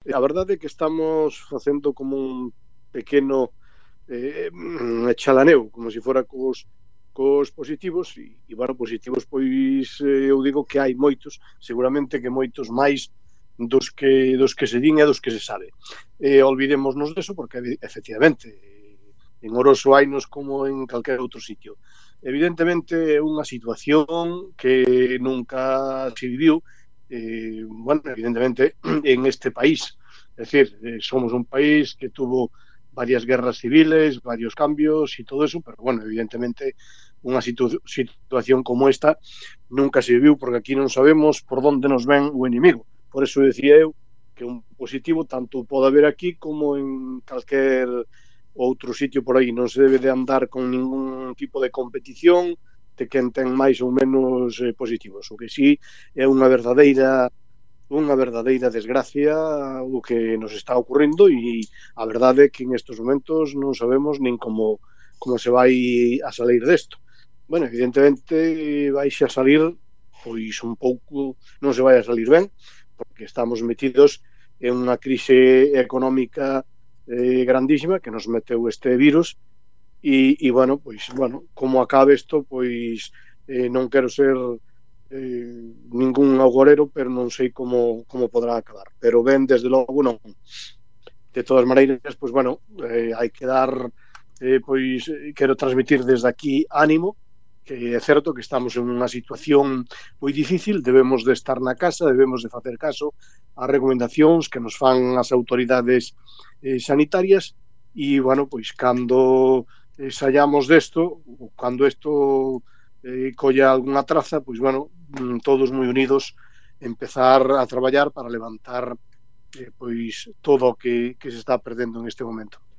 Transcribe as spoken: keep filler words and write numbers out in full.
A verdade é que estamos facendo como un pequeno eh, chalaneo, como se fora cos, cos positivos, e, e bueno, positivos, pois eu digo que hai moitos, seguramente que moitos máis dos que, dos que se din e dos que se sabe. Eh, olvidémonos deso, porque efectivamente en Oroso hainos como en calquer outro sitio. Evidentemente é unha situación que nunca se viviu, eh, bueno, evidentemente en este país. Es decir, eh, somos un país que tuvo varias guerras civiles, varios cambios y todo eso, pero bueno, evidentemente unha situ situación como esta nunca se viviu, porque aquí non sabemos por onde nos ven o inimigo. Por eso decía eu que un positivo tanto pode haber aquí como en calquer outro sitio por aí. Non se debe de andar con ningún tipo de competición de quen ten máis ou menos eh, positivos. O que sí é unha verdadeira unha verdadeira desgracia o que nos está ocurrindo, e a verdade é que en estes momentos non sabemos nin como, como se vai a salir desto. Bueno, evidentemente vais a salir pois un pouco, non se vai a salir ben, porque estamos metidos en unha crise económica eh, grandísima que nos meteu este virus, e, e bueno, pois, bueno, como acabe isto, pois eh, non quero ser eh, ningún agorero, pero non sei como, como podrá acabar. Pero ben, desde logo, non. De todas maneiras, pois, bueno, eh, hai que dar, eh, pois, quero transmitir desde aquí ánimo, que é certo que estamos en unha situación moi difícil, debemos de estar na casa, debemos de facer caso ás recomendacións que nos fan as autoridades eh, sanitarias, e, bueno, pois, cando eh, saiamos desto, cando isto eh, colla algunha traza, pois, bueno, todos moi unidos, empezar a traballar para levantar eh, pois todo o que, que se está perdendo en este momento.